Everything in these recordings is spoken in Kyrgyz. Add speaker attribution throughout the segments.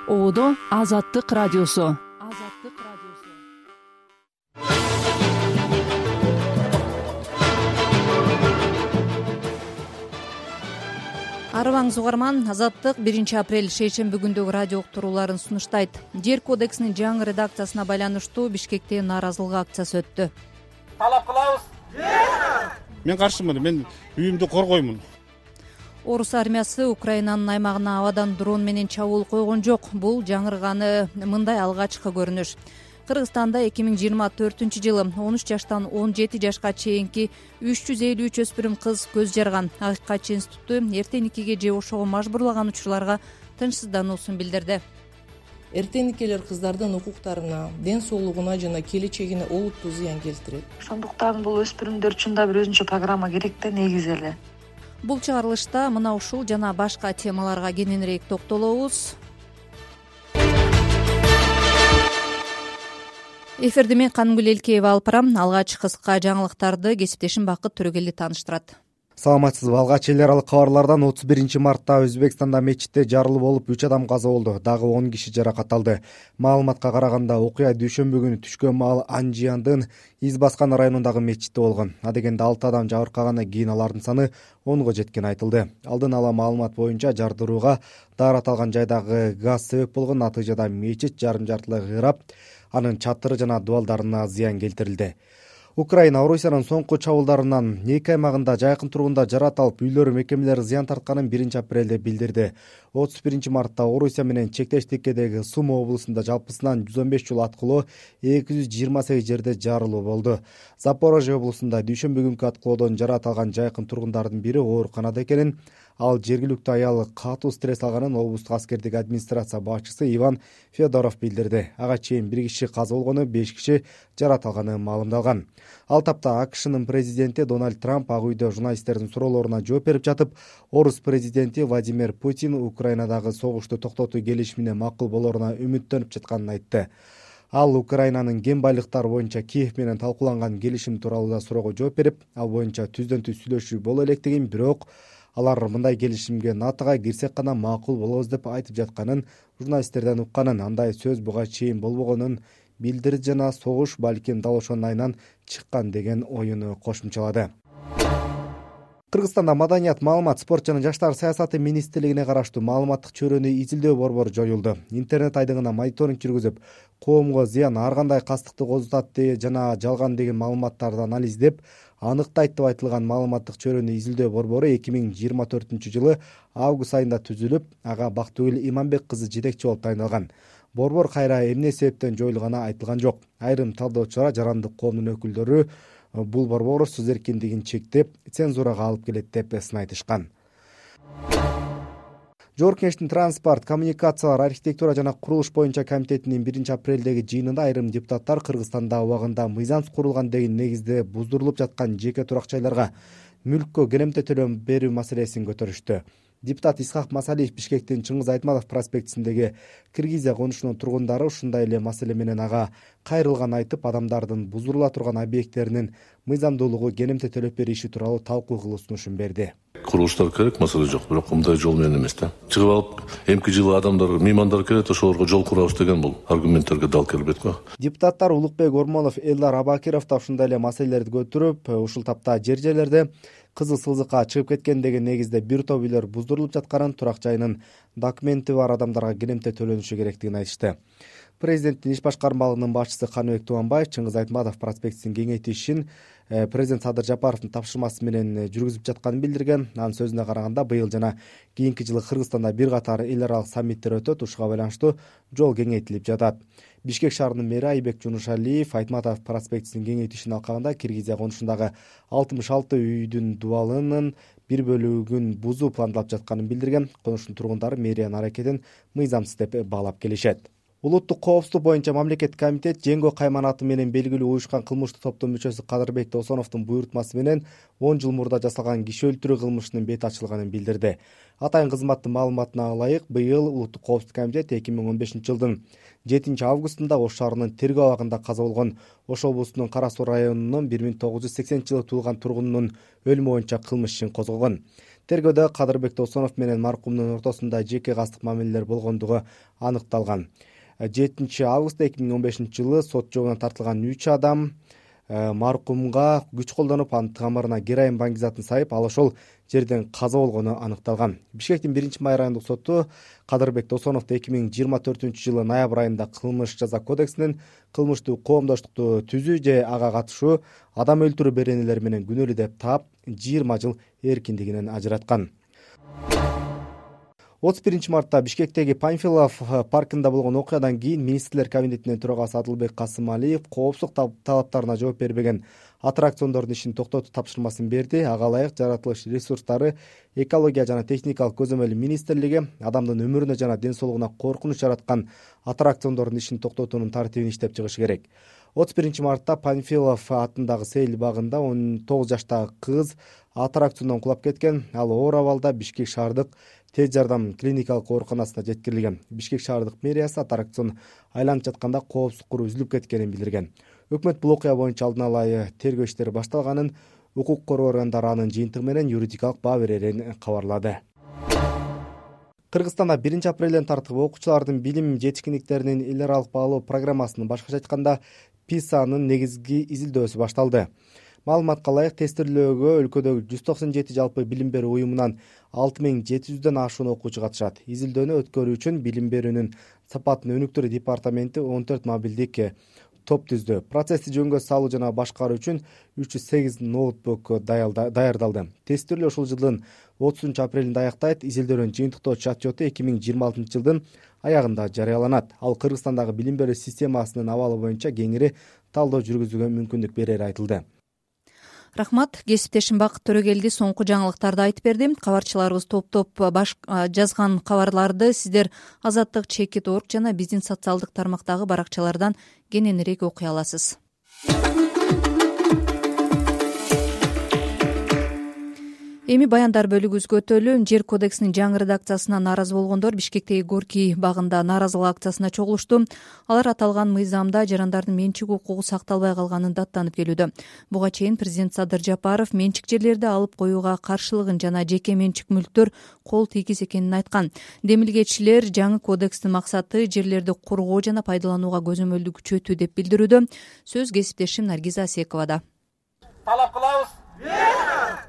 Speaker 1: Одо Азаттык радиосу.
Speaker 2: Арыбаңыз угарман, Азаттык 1-апрель шейшемби күндөгү радио уктурууларын сунуштайт. Жер кодексинин жаңы редакциясына байланыштуу Бишкекте нааразылык акциясы өттү.
Speaker 3: Талап кылабыз.
Speaker 4: Мен каршымын, мен үйүмдү коргоймун.
Speaker 2: Орус армиясы Украинанын аймагына абадан дрон менен чабуул койгон жок. Бул жаңырганы мындай алгачкы көрүнүш. Кыргызстанда 2024-жылы 13 жаштан 17 жашка чейинки 353 өспүрүм кыз көз жарган. Акыйкатчы институту эртеникеге же ошого мажбурлаган учурларга тынчсыздануусун билдирди.
Speaker 5: Эртеникелер кыздардын укуктарына, ден соолугуна жана келечегине олуттуу зыян келтирет.
Speaker 6: Ошондуктан бул өспүрүмдөр үчүн да бир өзүнчө программа керек да, негизи эле.
Speaker 2: Бул чыгарылышта мына ушул жана башка темаларга кененирээк токтолобуз. Эфирди мен Канымгүл Элкеева алып барам. Алгач кыска жаңылыктарды кесиптешим Бакыт Төрөгели тааныштырат.
Speaker 7: Саламатсызбы? Алгач эл аралык кабарлардан 31-мартта Өзбекстанда мечитте жарылуу болуп 3 адам каза болду. Дагы 10 киши жаракат алды. Маалыматка караганда окуя дүйшөмбү күнү түшкөн маал Анжияндын Из баскан районундагы мечитте болгон. Адегенде 6 адам жабыркагандан кийин алардын саны 10го жеткени айтылды. Алдын ала маалымат боюнча жардырууга даарат алган жайдагы газ себеп болгон. Натыйжада мечит жарым-жартылай кыйрап, анын чатыры жана дубалдарына зыян келтирилди. Украина Орусиянын соңку чабуулдарынан 2 аймагында жайкын тургундар жарат алып, үйлөр, мекемелер зыян тартканын 1-апрелде билдирди. 31-мартта Орусия менен чектеш тиккедеги Сума облусунда жалпысынан 115 жол аткылоо, 228 жерде жарылуу болду. Запорожье облусунда дүйшөмбү күнкү аткылоодон жарат алган жайкын тургундардын бири ооруканада экенин, ал жергиликтүү аял катуу стресс алганын облустук аскердик администрация башчысы Иван Федоров билдирди. Ага чейин 1 киши каза болгону, 5 киши жарат алганы маалымдалган. Ал тапта АКШнын президенти Дональд Трамп ак үйдө журналисттердин суроолоруна жооп берип жатып, Орус президенти Владимир Путин Украинадагы согушту токтотуу келишимине макул болоруна үмүттөнүп жатканын айтты. Ал Украинанын кен байлыктары боюнча Киев менен талкууланган келишим тууралуу да суроого жооп берип, ал боюнча түздөн-түз сүйлөшүү боло электигин, бирок алар мындай келишимге НАТОга кирсек гана макул болобуз деп айтып жатканын, журналисттерден укканын, андай сөз буга чейин болбогонун билдирди жана согуш балким дал ошонун айынан чыккан деген оюну кошумчалады. Кыргызстанда Маданият, маалымат, спорт жана жаштар саясаты министрлигине караштуу маалыматтык чөйрөнү изилдөө борбору жоюлду. Интернет айдыгына мониторинг жүргүзүп, коомго зыян ар кандай кастыкты козутат жана жалган деген маалыматтарды анализдеп аныктайт деп айтылган маалыматтык чөйрөнү изилдөө борбору 2024-жылы август айында түзүлүп, ага Бактыгүл Иманбек кызы жетекчи болуп тайындалган. Борбор кайра эмне себептен жоюлганы айтылган жок. Айрым талдоочулар жарандык коомдун өкүлдөрү бул борбор сөз эркиндигин чектеп, цензурага алып келет деп сын айтышкан. Жогорку Кеңештин транспорт, коммуникациялар, архитектура жана курулуш боюнча комитетинин 1-апрелдеги жыйынында айрым депутаттар Кыргызстанда убагында мыйзамсыз курулган деген негизде буздурулуп жаткан жеке турак жайларга мүлккө керемте төлөм берүү маселесин көтөрүштү. Депутат Исхак Масалиев Бишкектин Чыңгыз Айтматов проспектисиндеги Киргизия конушунун тургундары ушундай эле маселе менен ага кайрылган айтып, адамдардын буздурула турган объекттеринин мыйзамдуулугу керемте төлөп берүү иши тууралуу талкуу кылуу сунушун берди.
Speaker 8: Курулуштар керек, маселе жок, бирок мындай жол менен эмес да. Чыгып алып, эмки жылы адамдар, меймандар келет, ошолорго жол курабыз деген бул аргументтерге дал келбейт го.
Speaker 7: Депутаттар Улукбек Ормонов, Элдар Абакиров да ушундай эле маселелерди көтөрүп, ушул тапта жер-жерлерде кызыл сызыкка чыгып кеткен деген негизде бир топ үйлөр буздурулуп жатканын, турак жайынын документи бар адамдарга керемте төлөнүшү керектигин айтышты. Президенттин иш башкармалыгынын башчысы Каныбек Тубанбаев Чыңгыз Айтматов проспектисин кеңейтишин президент Садыр Жапаровдун тапшырмасы менен жүргүзүп жатканын билдирген. Анын сөзүнө караганда, быйыл жана кийинки жылы Кыргызстанда бир катар эл аралык саммиттер өтөт, ушуга байланыштуу жол кеңейтилип жатат. Бишкек шаарынын мэри Айбек Жунушалиев Айтматов проспектисин кеңейтишин алкагында Киргизия конушундагы 66 үйдүн дубалынын бир бөлүгүн бузуу пландалып жатканын билдирген. Конуштун тургундары мэриянын аракетин мыйзамсыз деп баалап келишет. Улуттук коопсуздук боюнча мамлекеттик комитет Жеңго Кайман аты менен белгилүү уюшкан кылмыштык топтун мүчөсү Кадырбек Досоновдун буйрутмасы менен 10 жыл мурда жасалган киши өлтүрүү кылмышынын бети ачылганын билдирди. Атайын кызматтын маалыматына ылайык, быйыл Улуттук коопсуздук комитет 2015-жылдын 7-августунда Ош шаарынын Тергөө абагында каза болгон Ош облусунун Кара Суу районунун 1980-жылы туулган тургунунун өлүмү боюнча кылмыш ишин козгогон. Тергөөдө Кадырбек Досонов менен маркумдун ортосунда жеке кастык мамилелер болгондугу аныкталган. 7 августта 2015 жылы сот жообуна тартылган 3 адам маркумга күч колдонуп, анын тамырына героин баңгизатын сайып, ал ошол жерден каза болгону аныкталган. Бишкектин 1-май райондук соту Кадырбек Досоновду 2024 жылы ноябрь айында кылмыш жаза кодексинин кылмыштуу коомдоштукту түзүү же ага катышуу, адам өлтүрүү беренелери менен күнөөлүү деп таап 20 жыл эркиндигинен ажыраткан. 31 мартта Бишкектеги Панфилов паркында болгон окуядан кийин министрлер кабинетинин төрагасы Адылбек Касымалиев коопсуздук талаптарына жооп бербеген аттракциондордун ишин токтотуу тапшырмасын берди. Ага ылайык жаратылыш ресурстары, экология жана техникалык көзөмөл министрлиги адамдын өмүрүнө жана ден соолугуна коркунуч жараткан аттракциондордун ишин токтотуунун тартибин иштеп чыгыш керек. 31 мартта Панфилов атындагы сейил багында 19 жаштагы кыз аттракциондон кулап кеткен. Ал оор абалда Бишкек шаардык тез жардам клиникалык ооруканасына жеткирилген. Бишкек шаардык мэриясы аттракцион айланып жатканда коопсуздук куру үзүлүп кеткенин билдирген. Өкмөт бул окуя боюнча алдын ала тергөө иштери башталганын, укук коргоо органдары анын жыйынтыгы менен юридикалык баа берерин кабарлады. Кыргызстанда 1 апрелден тартып окуучулардын билим жетишкиндиктеринин эл аралык баалоо программасынын, башкача айтканда ПИСАнын негизги изилдөөсү башталды. Маалыматка ылайык тестирлөөгө өлкөдөгү 197 жалпы билим берүү уюмунан 6700дөн ашуун окуучу катышат. Изилдөөнү өткөрүү үчүн билим берүүнүн сапатын өнүктүрүү департаменти 14 мобилдик топ түздү. Процессти жөнгө салуу жана башкаруу үчүн 308 ноутбук даярдалды. Тестирлөө ушул жылдын 30 апрелинде аяктайт. Изилдөөнүн жыйынтыктоочу отчету 2026 жылдын аягында жарыяланат. Ал Кыргызстандагы билим берүү системасынын абалы боюнча кеңири талдоо жүргүзүүгө мүмкүндүк берери айтылды.
Speaker 2: Рахмат, кесиптешим Бакыт Төрөгелди соңку жаңылыктарды айтып берди. Кабарчыларыбыз топ-топ жазган кабарларды сиздер Азаттык, Чекит.org жана биздин социалдык тармактагы баракчалардан кененирээк окуй аласыз. Эми баяндар бөлүгүбүзгө өтөлү. Жер кодексинин жаңы редакциясына нааразы болгондор Бишкектеги Горький багында нааразылык акциясына чогулушту. Алар аталган мыйзамда жарандардын менчик укугу сакталбай калганын даттанып келүүдө. Буга чейин президент Садыр Жапаров менчик жерлерди алып коюуга каршылыгын жана жеке менчик мүлктөр кол тийгиз экенин айткан. Демилгечилер жаңы кодекстин максаты жерлерди коргоо жана пайдаланууга көзөмөлдү күчөтүү деп билдирүүдө. Сөз кесиптешим Наргиза Асековада.
Speaker 3: Талап кылабыз.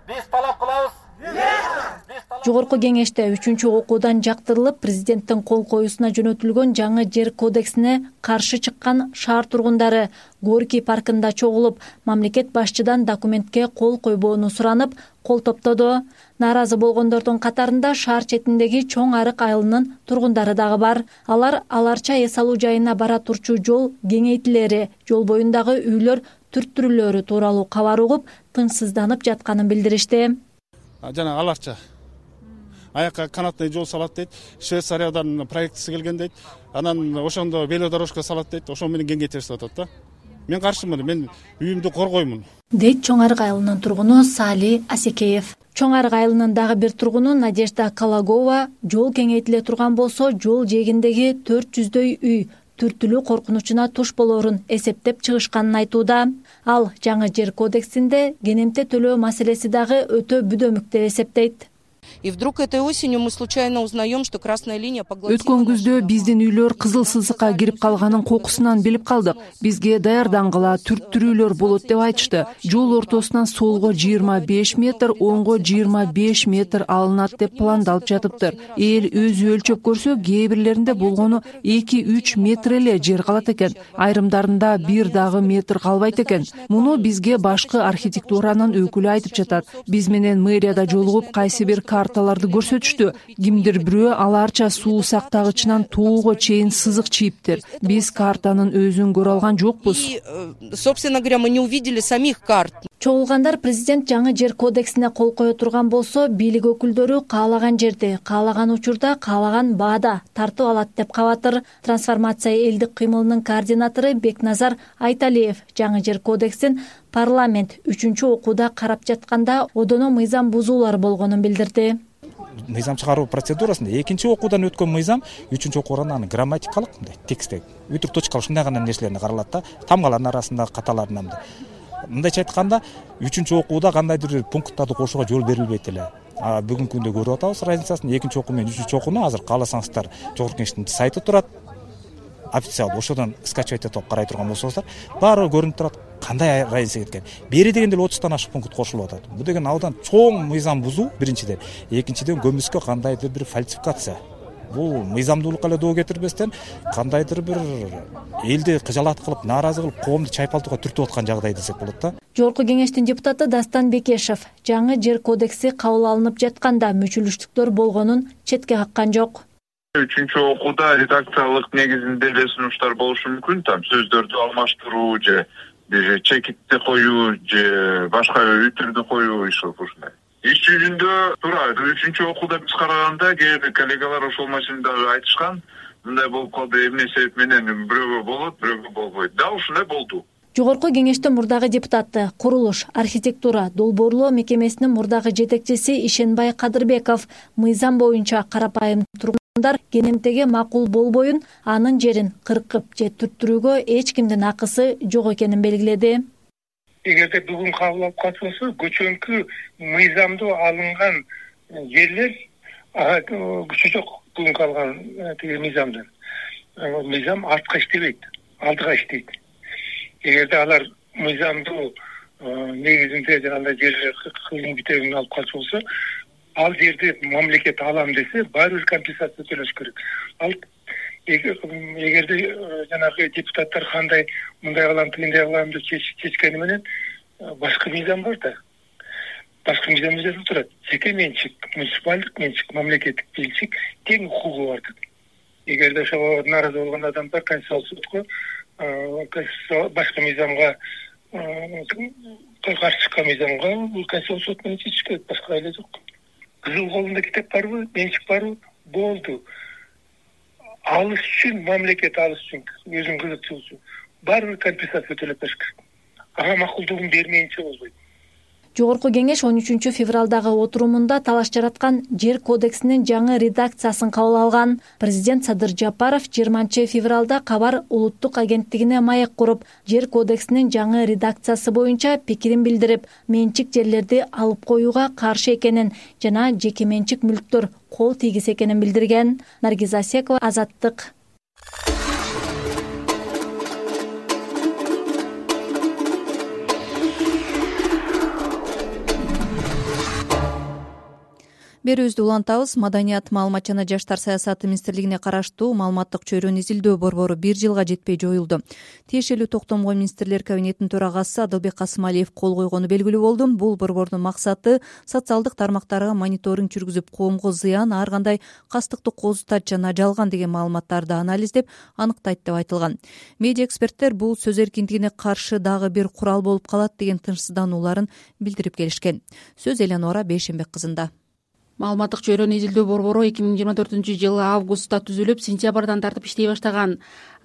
Speaker 3: Биз талап кылабыз.
Speaker 9: Жогорку кеңеште 3-окуудан жактырылып, президенттин кол коюусуна жөнөтүлгөн жаңы жер кодексине каршы чыккан шаар тургундары Горький паркында чогулуп, мамлекет башчыдан документке кол койбоону суранып, кол топтоду. Нааразы болгондордун катарында шаар четиндеги Чоң Арык айылынын тургундары дагы бар. Алар аларча эс алуу жайына бара турчу жол кеңейтилери, жол боюндагы үйлөр түрттүрүлөрү тууралуу кабар угуп, тынчсызданып жатканын билдиришти.
Speaker 4: Жана аларча аякка канатный жол салат дейт. Швейцариядан проектisi келген дейт. Анан ошондо велодорожка салат дейт. Ошо менен кеңейтип атат да. Мен каршымын. Мен үйүмдү коргоймун. Дейт
Speaker 9: Чоң Арык айылынын тургуну Сали Асекеев. Чоң Арык айылынын дагы бир тургуну Надежда Калагова жол кеңейтиле турган болсо, жол жээгиндеги 400дөй үй түртүлүү коркунучуна туш болорун эсептеп чыгышканын айтууда. Ал жаңы жер кодексинде кенемте төлөө маселеси дагы өтө бүдөмүк деп эсептейт.
Speaker 5: И вдруг этой осенью мы случайно узнаем, что красная линия поглотила.
Speaker 1: Өткөн күздө биздин үйлөр кызыл сызыкка кирип калганын кокусунан билип калдык. Бизге даярдангыла түрттүрүүлөр болот деп айтышты. Жол ортосунан солго 25 метр, оңго 25 метр алынат деп пландалып жатыптыр. Эл өзү өлчөп көрсө, кээ бирлеринде болгону 2-3 метр эле жер калат экен. Айрымдарында бир дагы метр калбайт экен. Муну бизге башкы архитектуранын өкүлү айтып жатат. Биз менен мэрияда жолугуп, кайсы бир карталарды көрсөтүштү. Кимдир бирөө аларча суу сактагычынан тоого чейин сызык чийиптир. Биз картанын өзүн көрө алган жокпуз.
Speaker 5: Собственно говоря, мы не увидели самих карт.
Speaker 9: Чогулгандар президент жаңы жер кодексине кол кое турган болсо, бийлик өкүлдөрү каалаган жерде, каалаган учурда, каалаган баада тартып алат деп кабатыр. Трансформация элдик кыймылынын координатору Бекназар Айталиев жаңы жер кодексин парламент 3-окууда карап жатканда одоно мыйзам бузуулар болгонун билдирди.
Speaker 10: Мыйзам чыгаруу процедурасында 2-окуудан өткөн мыйзам 3-окуудан аны грамматикалык текстте өтүк точкалык ушундай гана нерселерди каралат да, тамгалардын арасында каталарынан. Мындайча айтканда 3-окууда кандайдыр пункттарды кошууга жол берилбейт эле. Бүгүнкү күндө көрүп атабыз разницасын. Экинчи окуу менен үчүнчү окууну азыр кааласаңыздар Жогорку Кеңештин сайты турат. Официалдуу ошодон скачивать этип карай турган болсоңуздар, баары көрүнүп турат. Кандай разница кеткен. Бери дегенде 30тан ашык пункт кошулуп атат. Бул деген абдан чоң мыйзам бузуу биринчиден. Экинчиден көмүскө кандайдыр бир фальсификация. Бул мыйзамдуулукка эле доо кетирбестен кандайдыр бир элди кыжалат кылып, нааразы кылып, коомду чайпалтууга түртүп аткан жагдай десек болот да.
Speaker 9: Жогорку Кеңештин депутаты Дастан Бекешев жаңы жер кодекси кабыл алынып жатканда мүчүлүштүктөр болгонун четке каккан жок.
Speaker 11: Үчүнчү окууда редакциялык негизинде эле сунуштар болушу мүмкүн, сөздөрдү алмаштыруу же бир чекитти коюу же башка үтүрдү коюу ушундай. Иш жүзүндө туура үчүнчү окууда биз караганда кээ бир коллегалар ошол маселени айтышкан. Мындай болуп калды, эмне себеп менен бирөөгө болот, бирөөгө болбойт. Да, ушундай болду.
Speaker 9: Жогорку Кеңештин мурдагы депутаты, курулуш, архитектура, долбоорлоо мекемесинин мурдагы жетекчиси Ишенбай Кадырбеков мыйзам боюнча карапайым тургундар кенемтеге макул болбоюн, анын жерин кыркып же түрттүрүүгө эч кимдин акысы жок экенин белгиледи.
Speaker 12: Эгерде бүгүн кабыл алып калса, көчөнкү мыйзамдуу алынган жерлер күчү жок бүгүн калган мыйзамдан. Мыйзам артка иштебейт, алдыга иштейт. Эгерде алар мыйзамдуу негизинде жанагындай жерлер кылым бүтөгүн алып калчу болсо, ал жерди мамлекет алам десе, баары бир компенсация төлөш керек. Ал эгерде жанагы депутаттар кандай мындай кылам, тигиндей кылам деп чечкени менен башка мыйзам бар да. Башка мыйзамда жазылып турат. Жеке менчик, муниципалдык менчик, мамлекеттик менчик тең укугу бар деп. Эгерде ошого нааразы болгон адамдар Конституциялык сотко башка мыйзамга каршы чыккан мыйзамга Конституциялык сот менен чечиш керек, башка эле жок. Кызыл колунда китеп барбы, менчик барбы? Болду. Алыш үчүн, мамлекет алыш үчүн, өзүнүн кызыкчылыгы үчүн баары бир компенсация төлөп бериш керек. Ага макулдугун бермейинче болбойт.
Speaker 9: Жогорку Кеңеш 13 февралдагы отурумунда талаш жараткан жер кодексинин жаңы редакциясын кабыл алган. Президент Садыр Жапаров 20 февралда Кабар улуттук агенттигине маек куруп, жер кодексинин жаңы редакциясы боюнча пикирин билдирип, менчик жерлерди алып коюуга каршы экенин жана жеке менчик мүлктөр кол тийгиз экенин билдирген. Наргиз Асекова, Азаттык.
Speaker 2: Берүүбүздү улантабыз. Маданият, маалымат жана жаштар саясаты министрлигине караштуу маалыматтык чөйрөнү изилдөө борбору 1 жылга жетпей жоюлду. Тиешелүү токтомго министрлер кабинетинин төрагасы Адылбек Касымалиев кол койгону белгилүү болду. Бул борбордун максаты социалдык тармактарга мониторинг жүргүзүп, коомго зыян, ар кандай кастыктык козутат жана жалган деген маалыматтарды анализдеп, аныктайт деп айтылган. Медиа эксперттер бул сөз эркиндигине каршы дагы бир курал болуп калат деген тынчсызданууларын билдирип келишкен. Сөз Эленора Бейшенбек кызында.
Speaker 13: Маалыматтык чөйрөнү изилдөө борбору 2024-жылы августта түзүлүп, сентябрдан тартып иштей баштаган.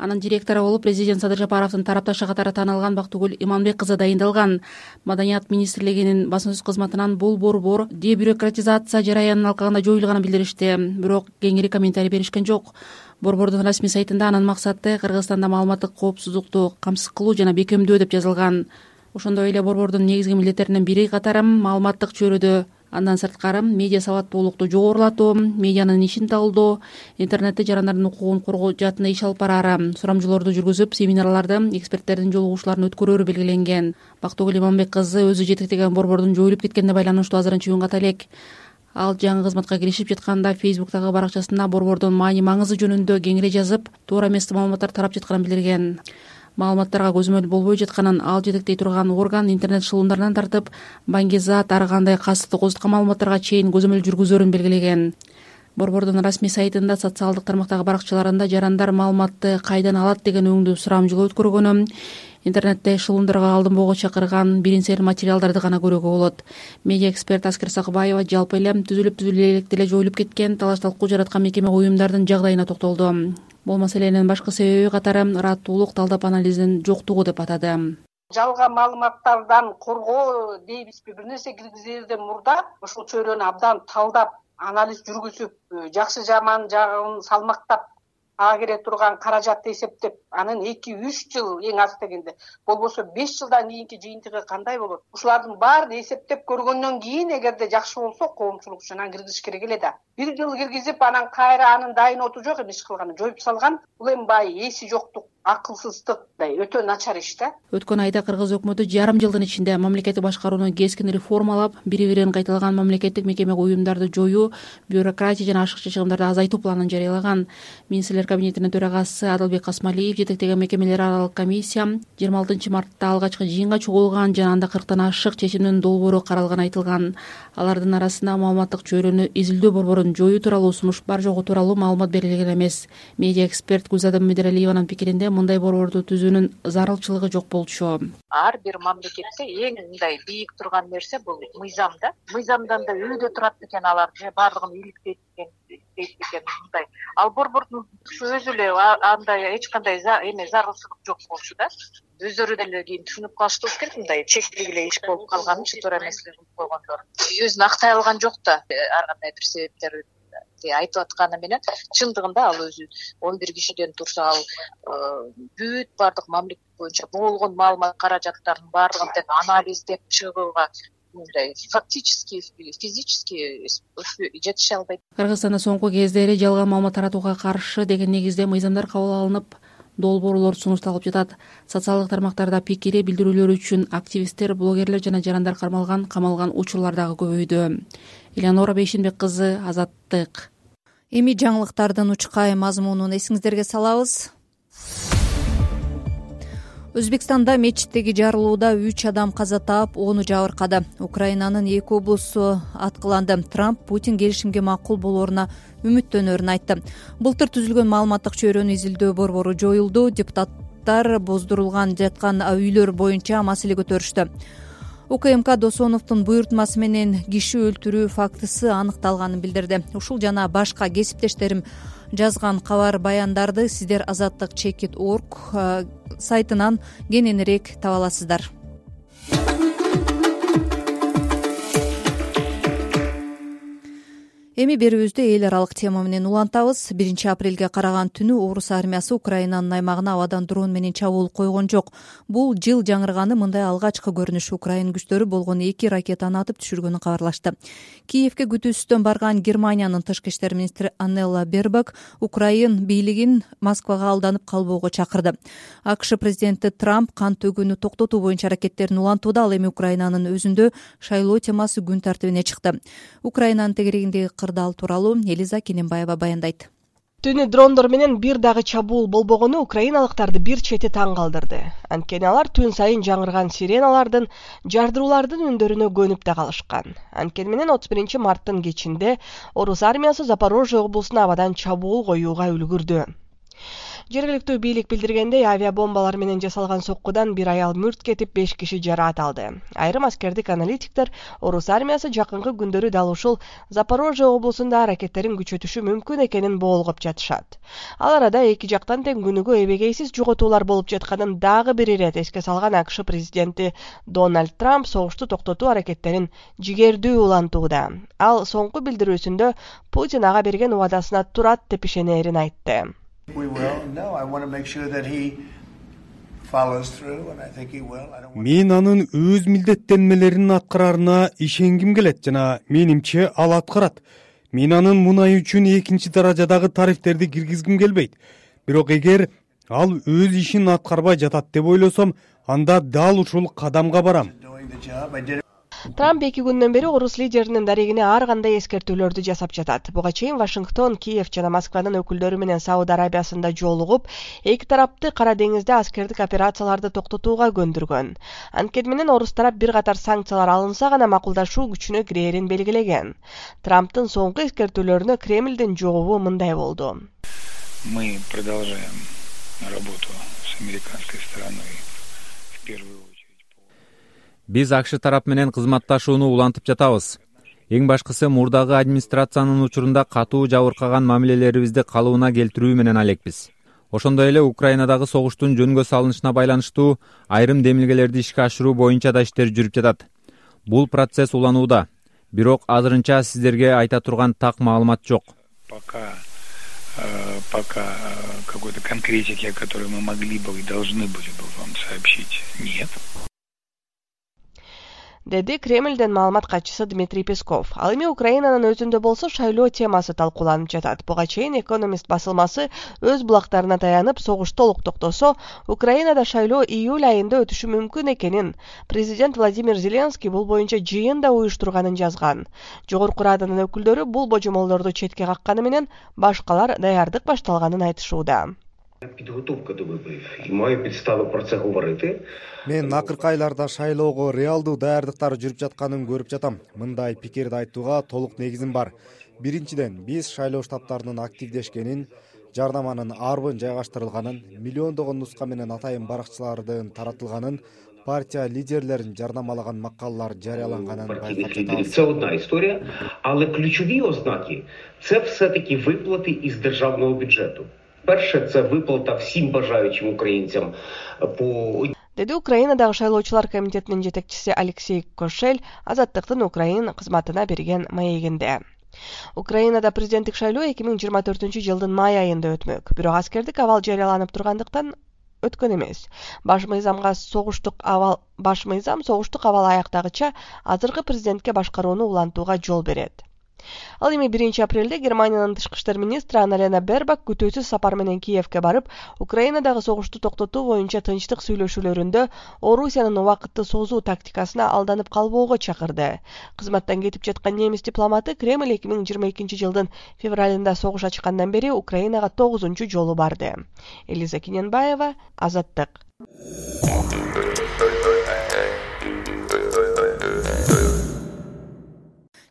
Speaker 13: Анын директору болуп президент Садыр Жапаровдун тарапташы катары таанылган Бактыгүл Иманбек кызы дайындалган. Маданият министрлигинин басма сөз кызматынан бул борбор дебюрократизация жараянын алкагында жоюлганын билдиришти, бирок кеңири комментарий беришкен жок. Борбордун расмий сайтында анын максаты Кыргызстанда маалыматтык коопсуздукту камсыз кылуу жана бекемдөө деп жазылган. Ошондой эле борбордун негизги милдеттеринин бири катары маалыматтык чөйрөдө андан сырткары медиа сабаттуулукту жогорулатуу, медианын ишин талдоо, интернетте жарандардын укугун коргоо жаатында иш алып бараары, сурамжылоорду жүргүзүп, семинарларды, эксперттердин жолугушууларын өткөрөөрү белгиленген. Бактыгүл Иманбек кызы өзү жетектеген борбордун жоюлуп кеткенине байланыштуу азырынча үн ката элек. Ал жаңы кызматка киришип жатканда Facebook'тагы баракчасында борбордун маани-маңызы жөнүндө кеңири жазып, туура эмес маалыматтар тарап жатканын билдирген. Маалыматтарга көзөмөл болбой жатканын ал жетектей турган орган интернет шылуундарынан тартып, баңгизат, ар кандай кастыктык козуткан маалыматтарга чейин көзөмөл жүргүзөөрүн белгилеген. Борбордун расмий сайтында социалдык тармактагы баракчаларында жарандар маалыматты кайдан алат деген өңдүү сурамжылоо өткөргөнү, интернетте шылуундарга алдынбоого чакырган бирин-серин материалдарды гана көрүүгө болот. Медиа эксперт Аскер Сакыбаева жалпы эле түзүлүп электе эле жоюлуп кеткен, талаш-талкуу жараткан мекеме уюмдардын жагдайына токтолду. Бул маселенин башкы себеби катары ыраттуулук, талдап анализдин жоктугу деп атады.
Speaker 14: Жалган маалыматтардан коргоо дейбизби, бир нерсе киргизерден мурда ушул чөйрөнү абдан талдап, анализ жүргүзүп, жакшы жаман жагын салмактап ага кере турган каражатты эсептеп анын 2-3 жыл эң аз дегенде болбосо 5 жылдан кийинки жыйынтыгы кандай болот? Ушулардын баарын эсептеп көргөндөн кийин эгерде жакшы болсо коомчулук үчүн анан киргизиш керек эле да. 1 жыл киргизип анан кайра анын дайын оту жок эми иш кылганы жоюп салган. Бул эми баягы эси жоктук, акылсыздыкдай өтө начар иш да.
Speaker 13: Өткөн айда кыргыз өкмөтү жарым жылдын ичинде мамлекеттик башкарууну кескин реформалап, бири-бирин кайталаган мамлекеттик мекеме уюмдарды жоюу, бюрократия жана ашыкча чыгымдарды азайтуу планын жарыялаган. Министрлер кабинетинин төрагасы Адылбек Касмалиев жетектеген мекемелер аралык комиссия 26 мартта алгачкы жыйынга чогулган жана анда 40тан ашык чечимдин долбоору каралганы айтылган. Алардын арасында маалыматтык чөйрөнү изилдөө борборун жоюу тууралуу сунуш бар жогу тууралуу маалымат берилген эмес. Медиа эксперт Гүлзада Медералиеванын пикиринде мындай борборду түзүүнүн зарылчылыгы жок болчу.
Speaker 15: Ар бир мамлекетте эң мындай бийик турган нерсе бул мыйзам да. Мыйзамдан да үйдө турат экен алар же бардыгын иликтейт экен мындай. Ал борбордун өзү эле андай эч кандай зарылчылык жок болчу да. Өздөрү деле кийин түшүнүп калыштуу керек, мындай чектик эле иш болуп калганын туура эмеслигин кылып койгондор. Өзүн актай алган жок да, ар кандай бир себептер айтып атканы менен чындыгында ал өзү 11 кишиден турса ал бүт бардык мамлекет боюнча болгон маалымат каражаттарын бардыгын тең анализдеп чыгууга мындай фактически физически жетише албайт.
Speaker 13: Кыргызстанда соңку кездери жалган маалымат таратууга каршы деген негизде мыйзамдар кабыл алынып, долбоорлор сунушталып жатат. Социалдык тармактарда пикири билдирүүлөр үчүн активисттер, блогерлер жана жарандар камалган учурлар дагы көбөйдү. Элеонора Бейшенбек кызы, Азаттык.
Speaker 2: Эми жаңылыктардын учкай мазмунун эсиңиздерге салабыз. Өзбекстанда мечиттеги жарылууда 3 адам каза таап, 10 жабыркады. Украинанын 2 облусу аткыланды. Трамп Путин келишимге макул болооруна үмүттөнөрүн айтты. Былтыр түзүлгөн маалыматтык чөйрөнү изилдөө борбору жоюлду. Депутаттар боздурулган жаткан үйлөр боюнча маселе көтөрүштү. УКМК Досоновдун буйртмасы менен киши өлтүрүү фактысы аныкталганын билдирди. Ушул жана башка кесиптештерим жазган кабар баяндарды сиздер azatlyk.org сайтынан кененирээк таба аласыздар. Эми берүүбүздү эл аралык тема менен улантабыз. 1 апрелге караган түнү орус армиясы Украинанын аймагына абадан дрон менен чабуул койгон жок. Бул жыл жаңырганы мындай алгачкы көрүнүш. Украин күчтөрү болгон 2 ракетаны атып түшүргөнү кабарлашты. Киевке күтүүсүздөн барган Германиянын тышкы иштер министри Аннела Бербак Украин бийлигин Москвага алданып калбоого чакырды. АКШ президенти Трамп кан төгүүнү токтотуу боюнча аракеттерин улантууда. Ал эми Украинанын өзүндө шайлоо темасы күн тартибине чыкты. Украинанын тегерегиндеги кырдаал тууралуу Элиза Кененбаева баяндайт.
Speaker 16: Түнү дрондор менен бир дагы чабуул болбогону украиналыктарды бир чети таң калтырды. Анткени алар түн сайын жаңырган сиреналардын, жардыруулардын үндөрүнө көнүп да калышкан. Анткени менен 31 марттын кечинде орус армиясы Запорожье облусуна абадан чабуул коюуга үлгүрдү. Жергиликтүү бийлик билдиргендей, авиабомбалар менен жасалган соккудан бир аял мүрт кетип 5 киши жараат алды. Айрым аскердик аналитиктер орус армиясы жакынкы күндөрү дал ушул Запорожье облусунда аракеттерин күчөтүшү мүмкүн экенин боолгоп жатышат. Ал арада эки жактан тең күнүгө эбегейсиз жоготуулар болуп жатканын дагы бир ирет эске салган АКШ президенти Дональд Трамп согушту токтотуу аракеттерин жигердүү улантууда. Ал соңку билдирүүсүндө Путин ага берген убадасына турат деп ишенерин айтты.
Speaker 17: Мен анын өз милдеттенмелерин аткарарына ишенгим келет жана менимче ал аткарат. Мен анын мунай үчүн экинчи даражадагы тарифтерди киргизгим келбейт. Бирок эгер ал өз ишин аткарбай жатат деп ойлосом, анда дал ушул кадамга барам.
Speaker 16: Трамп 2 күндөн бери орус лидеринин дарегине ар кандай эскертүүлөрдү жасап жатат. Буга чейин Вашингтон, Киев жана Москванын өкүлдөрү менен Сауд Арабиясында жолугуп, эки тарапты Кара деңизде аскердик операцияларды токтотууга көндүргөн. Анткени менен орус тарап бир катар санкциялар алынса гана макулдашуу күчүнө кирээрин белгилеген. Трамптын соңку эскертүүлөрүнө Кремлдин жообу мындай болду.
Speaker 18: Мы продолжаем работу с американской стороной в первую.
Speaker 19: Биз АКШ тарап менен кызматташууну улантып жатабыз. Эң башкысы мурдагы администрациянын учурунда катуу жабыркаган мамилелерибизди калыбына келтирүү менен алекпиз. Ошондой эле Украинадагы согуштун жөнгө салынышына байланыштуу айрым демилгелерди ишке ашыруу боюнча да иштер жүрүп жатат. Бул процесс уланууда. Бирок азырынча сиздерге айта турган так маалымат жок.
Speaker 18: Пока пока какой-то конкретики, о которой мы могли бы и должны были бы вам сообщить, нет.
Speaker 16: Деди Кремлден маалымат катчысы Дмитрий Песков. Ал эми Украинанын өзүндө болсо шайлоо темасы талкууланып жатат. Буга чейин Экономист басылмасы өз булактарына таянып, согуш толук токтосо, Украинада шайлоо июль айында өтүшү мүмкүн экенин президент Владимир Зеленский бул боюнча жыйын да уюштурганын жазган. Жогорку Раданын өкүлдөрү бул божомолдорду четке какканы менен башкалар даярдык башталганын айтышууда.
Speaker 20: Підготовка до виборів і маю підстави про це говорити.
Speaker 7: Мен акыркы айларда шайлоого реалдуу даярдыктар жүрүп жатканын көрүп жатам. Мындай пикирди айтууга толук негизим бар. Биринчиден, биз шайлоо штабтарынын активдешкенин, жардаманын арбын жайгаштырылганын, миллиондогон нуска менен атайын баракчылардын таратылганын, партия лидерлерин жардамалаган макалалар жарыяланганын байкап жатабыз.
Speaker 20: Це одна історія, але ключові ознаки – це все-таки виплати із державного бюджету. Перше, це виплата всім бажаючим українцям по...
Speaker 16: Деди Украинадагы шайлоочулар комитетинин жетекчиси Алексей Кошель Азаттыктын Украин кызматына берген маегинде. Украинада президенттик шайлоо 2024-жылдын май айында өтмөк. Бирок аскердик абал жарыяланып тургандыктан өткөн эмес. Баш мыйзам согуштук абал аяктагыча азыркы президентке башкарууну улантууга жол берет. Ал эми 1-апрелде Германиянын тышкы иштер министри Анна-Лена Бербак күтүүсүз сапар менен Киевке барып, Украинадагы согушту токтотуу боюнча тынчтык сүйлөшүүлөрүндө Орусиянын убакытты созуу тактикасына алданып калбоого чакырды. Кызматтан кетип жаткан немис дипломаты Кремль 2022-жылдын февралында согуш ачкандан бери Украинага 9-жолу жолу барды. Элиза Киненбаева, Азаттык.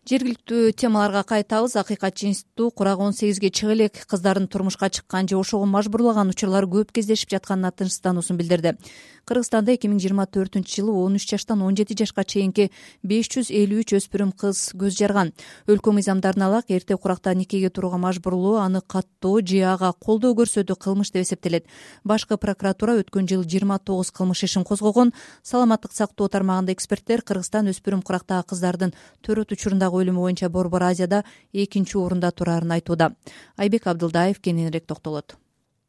Speaker 2: Жергиликтүү темаларга кайтабыз. Акыйкатчы институту курак 18ге чыга элек кыздардын турмушка чыккан же ошого мажбурлаган учурлар көп кездешип жатканына тынчсыздануусун билдирди. Кыргызстанда 2024-жылы 13 жаштан 17 жашка чейинки 553 өспүрүм кыз көз жарган. Өлкө мыйзамдарына алак эрте куракта никеге турууга мажбурлоо аны каттоо же ага колдоо көрсөтүү кылмыш деп эсептелет. Башкы прокуратура өткөн жылы 29 кылмыш ишин козгогон. Саламаттык сактоо тармагында эксперттер Кыргызстан өспүрүм курактагы кыздардын төрөт учурунда өлүмү боюнча Борбор Азияда 2-орунда турарын айтууда. Айбек Абдылдаев кененирээк токтолот.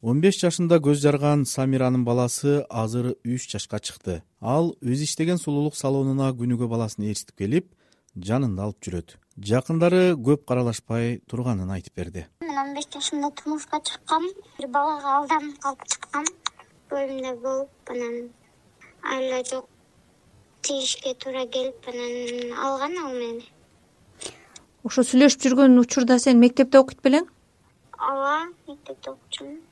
Speaker 21: 15 жашында көз жарган Самиранын баласы азыр 3 жашка чыкты. Ал өз иштеген сулуулук салонуна күнүгө баласын ээрчитип келип, жанында алып жүрөт. Жакындары көп каралашпай турганын айтып берди.
Speaker 22: Мен 15 жашымда турмушка чыккам, бир балага алданып калып чыккам. Бөлүмдө болуп, анан айла жок тийишке туура келип, анан алган ал мени.
Speaker 2: Ошо сүйлөшүп жүргөн учурда сен мектепте окуйт белең?
Speaker 22: Ооба, мектепте окучумун.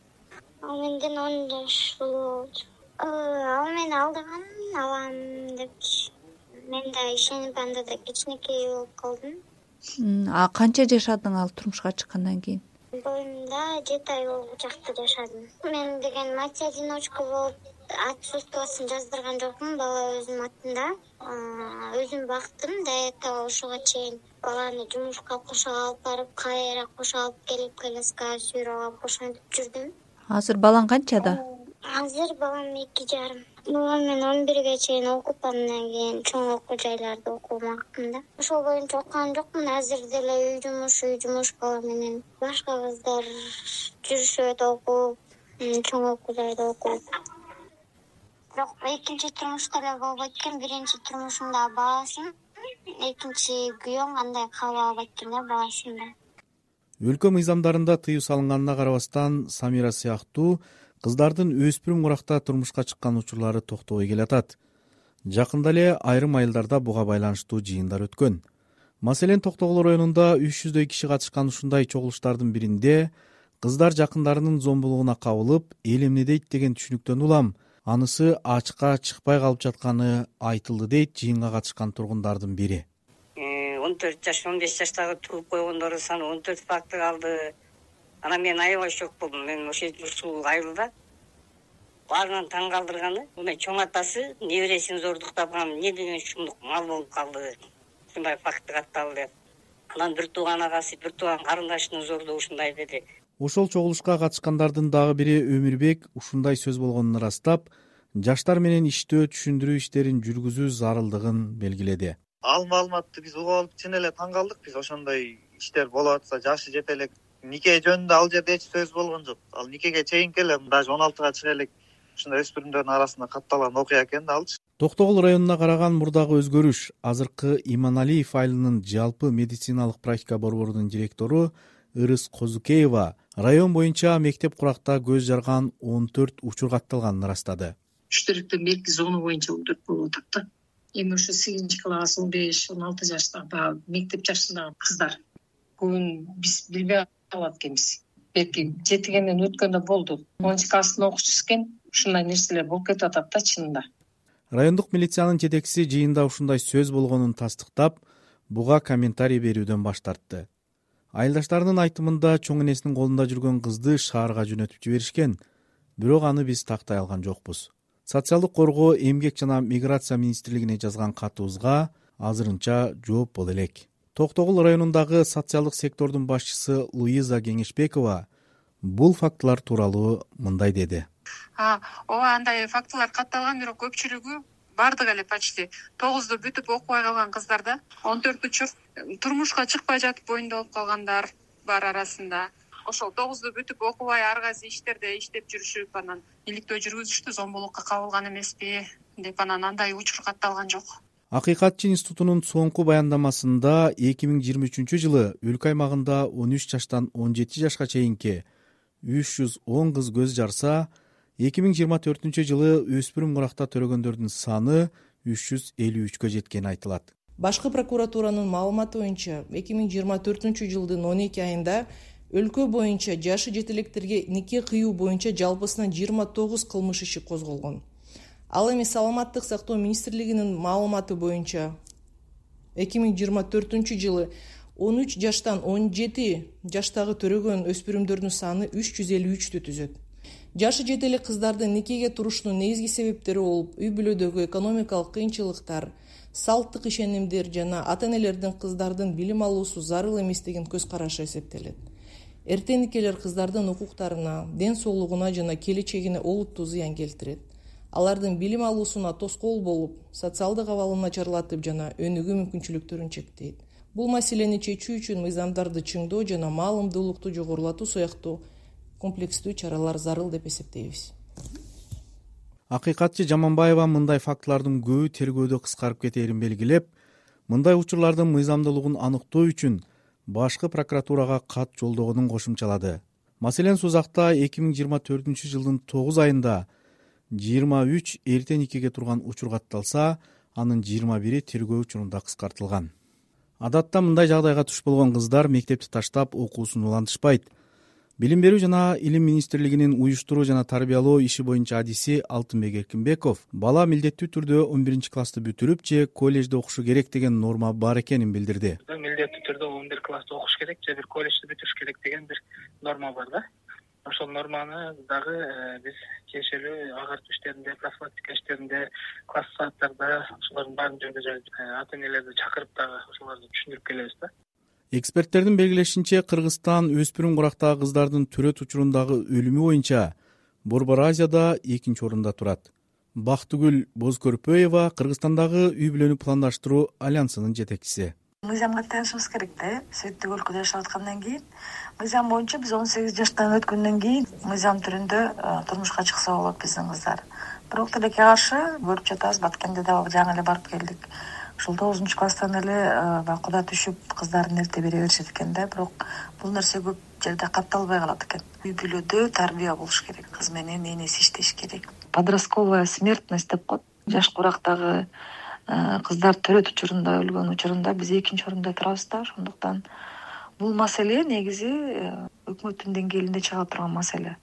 Speaker 22: Ал менден 10 жаш улуу. Ал мени алдаган, алам деп. Мен да ишенип анда да кичинекей болуп калдым.
Speaker 2: А канча жашадың ал турмушка чыккандан кийин?
Speaker 22: Боюмда 7 ай болуп жакты жашадым. Мен деген мать-одиночка болуп отсутствиясын жаздырган жокмун, бала өзүм атында. Өзүм бактым да ошого чейин баланы жумушка кошо алып барып, кайра кошо алып келип, коляскага сүйрөп алып ошентип жүрдүм.
Speaker 2: Азыр балаң канчада?
Speaker 22: Азыр балам 2,5. Мен 11ге чейин окуп, андан кийин чоң окуу жайларда окумактым да. Ошол боюнча окуган жокмун. Азыр деле үй жумуш бала менен башка кыздар жүрүшөт окуп, чоң окуу жайда окуп. Бирок экинчи турмушта эле болбойт экен. Биринчи турмушумда баласым, экинчи күйөөм андай кабыл албайт экен да баласында.
Speaker 21: Өлкө мыйзамдарында тыюу салынганына карабастан Самира сыяктуу кыздардын өспүрүм куракта турмушка чыккан учурлары токтобой келатат. Жакында эле айрым айылдарда буга байланыштуу жыйындар өткөн. Маселен, Токтогул районунда 300дөй киши катышкан ушундай чогулуштардын биринде кыздар жакындарынын зомбулугуна кабылып, эл эмне дейт деген түшүнүктөн улам анысы ачыкка чыкпай калып жатканы айтылды дейт жыйынга катышкан тургундардын бири.
Speaker 23: 14 жаш, 15 жаштагы туулуп койгондордун саны 14 факты калды. Анан мен аябай шок болдум. Мен ошол ушул айылда баарынан таң калтырганы, мына чоң атасы небересин зордуктап, эмне деген шумдук мал болуп калды. Ушундай факты катталды деп. Анан бир тууган агасы, бир тууган карындашынын зордугу ушундай деди.
Speaker 21: Ошол чогулушка катышкандардын дагы бири Өмүрбек ушундай сөз болгонун ырастап, жаштар менен иштөө, түшүндүрүү иштерин жүргүзүү зарылдыгын белгиледи.
Speaker 24: Ал маалыматты биз угуп алып чын эле таң калдык. Биз ошондой иштер болуп атса, жашы жете элек
Speaker 3: нике жөнүндө ал жерде эч сөз болгон жок. Ал никеге чейинки эле даже 16 чыга элек ушундай өспүрүмдөрдүн арасында катталган окуя экен да алчы.
Speaker 21: Токтогул районуна караган мурдагы өзгөрүш азыркы Иманалиев айылынын жалпы медициналык практика борборунун директору Ырыс Козукеева район боюнча мектеп куракта көз жарган 14 учур катталганын ырастады.
Speaker 6: Үчтөрүктүн белги зону боюнча 14 болуп атат да. Эми ушу 8 класс 15-16 жаштагы мектеп жашындагы кыздар көбүн биз билбей калат экенбиз. Белки жетигенден өткөндө болду. 10 класстын окуучусу экен, ушундай нерселер болуп кетип атат да чынында.
Speaker 21: Райондук милициянын жетекчиси жыйында ушундай сөз болгонун тастыктап, буга комментарий берүүдөн баш тартты. Айылдаштарынын айтымында чоң энесинин колунда жүргөн кызды шаарга жөнөтүп жиберишкен, бирок аны биз тактай алган жокпуз. Социалдык коргоо, эмгек жана миграция министрлигине жазган катыбызга азырынча жооп боло элек. Токтогул районундагы социалдык сектордун башчысы Луиза Кеңешбекова бул фактылар тууралуу мындай деди.
Speaker 8: Ооба, андай фактылар катталган, бирок көпчүлүгү бардыгы эле почти 9-ду бүтүп окубай калган кыздарда 14 учур турмушка чыкпай жатып боюнда болуп калгандар бар арасында. Ошол 9-ду бүтүп окубай ар кайсы иштерде иштеп жүрүшүп, анан иликтөө жүргүзүштү, зомбулукка кабылган эмеспи деп анан андай учур катталган жок.
Speaker 21: Акыйкатчы институтунун соңку баяндамасында 2023 жылы өлкө аймагында 13 жаштан 17 жашка чейинки 310 кыз көз жарса, 2024 жылы өспүрүм куракта төрөгөндөрдүн саны 353кө жеткени айтылат.
Speaker 5: Башкы прокуратуранын маалыматы боюнча 2024 жылдын 12 айында өлкө боюнча жашы жете электерге нике кыюу боюнча жалпысынан 29 кылмыш иши козголгон. Ал эми Саламаттык сактоо министрлигинин маалыматы боюнча 2024 жылы 13 жаштан 17 жаштагы төрөгөн өспүрүмдөрдүн саны 353 түзөт. Жашы жете элек кыздардын никеге турушунун негизги себептери болуп, үй бүлөдөгү экономикалык кыйынчылыктар, салттык ишенимдер жана ата-энелердин кыздардын билим алуусу зарыл эмес деген көз карашы эсептелет. Эрте никелер кыздардын укуктарына, ден соолугуна жана келечегине олуттуу зыян келтирет. Алардын билим алуусуна тоскоол болуп, социалдык абалын начарлатып жана өнүгүү мүмкүнчүлүктөрүн чектейт. Бул маселени чечүү үчүн мыйзамдарды чыңдоо жана маалымдуулукту жогорулатуу сыяктуу комплекстүү чаралар зарыл деп эсептейбиз.
Speaker 21: Акыйкатчы Жаманбаева мындай фактылардын көбү тергөөдө кыскарып кетээрин белгилеп, мындай учурлардын мыйзамдуулугун аныктоо үчүн башкы прокуратурага кат жолдогонун кошумчалады. Маселен, Сузакта 2024 жылдын 9 айында 23 эрте никеге турган учур катталса, анын 21-и тергөө учурунда кыскартылган. Адатта мындай жагдайга туш болгон кыздар мектепти таштап окуусун улантышпайт. Билим берүү жана илим министрлигинин уюштуруу жана тарбиялоо иши боюнча адиси Алтынбек Эркинбеков бала милдеттүү түрдө 11 классты бүтүрүп же коллежде окушу керек деген норма бар экенин билдирди.
Speaker 12: Милдеттүү түрдө 11 классты окуш керек же бир коллежди бүтүрүш керек деген бир норма бар да. Ошол норманы дагы биз тиешелүү агартуу иштеринде, профилактика иштеринде, класс сааттарда ошолордун баарын жүргүзөбүз. Ата-энелерди чакырып дагы ошолорду түшүндүрүп келебиз да.
Speaker 21: Эксперттердин белгилешинче, Кыргызстан өспүрүм курактагы кыздардын төрөт учурундагы өлүмү боюнча Борбор Азияда 2-нчи орунда турат. Бактыгүл Бозкөрпөева Кыргызстандагы үй бүлөнү пландаштыруу альянсынын жетекчиси.
Speaker 24: Мыйзамга таянышыбыз керек да. Светтик өлкөдө жашап аткандан кийин мыйзам боюнча биз 18 жаштан өткөндөн кийин мыйзам түрүндө турмушка чыкса болот биздин кыздар. Бирок тилекке каршы көрүп жатабыз, Баткенде да жаңы эле барып келдик. Ушул 9 класстан эле куда түшүп кыздарын эрте бере беришет экен да. Бирок бул нерсе көп жерде катталбай калат экен. Үй бүлөдө тарбия болуш керек. Кыз менен энеси иштеш керек. Подростковая смертность деп коет. Жаш курактагы кыздар төрөт учурунда өлгөн учурунда биз 2-нчи орунда турабыз да. Ошондуктан бул маселе негизи өкмөттүн деңгээлинде чыга турган маселе.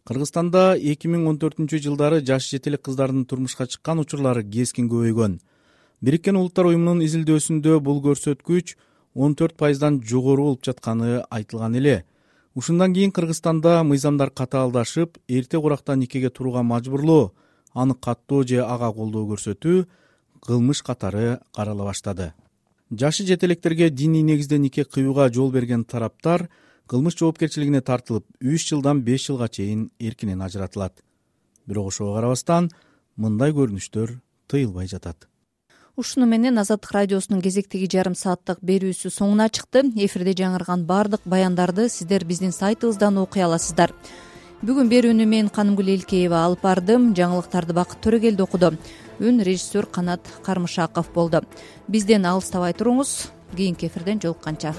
Speaker 21: Кыргызстанда 2014 жылдары жаш жете элек кыздардын турмушка чыккан учурлары кескин көбөйгөн. Бириккен Улуттар уюмунун изилдөөсүндө бул көрсөткүч 14%дан жогору болуп жатканы айтылган эле. Ушундан кийин Кыргызстанда мыйзамдар катаалдашып, эрте куракта никеге турууга мажбурлоо, аны каттоо же ага колдоо көрсөтүү кылмыш катары карала баштады. Жашы жете электерге диний негизде нике кыюуга жол берген тараптар кылмыш жоопкерчилигине тартылып, 3 жылдан 5 жылга чейин эркинен ажыратылат. Бирок ошого карабастан мындай көрүнүштөр тыйылбай жатат.
Speaker 2: ушуну менен Азаттык радиосунун кезектеги жарым сааттык берүүсү соңуна чыкты. Эфирде жаңырган баардык баяндарды сиздер биздин сайтыбыздан окуй аласыздар. Бүгүн берүүнү мен Канымгүл Элкеева алып бардым. Жаңылыктарды Бакыт Төрөгелди окуду. Үн режиссер Канат Кармышаков болду. Бизден алыстабай туруңуз. Кийинки эфирден жолукканча.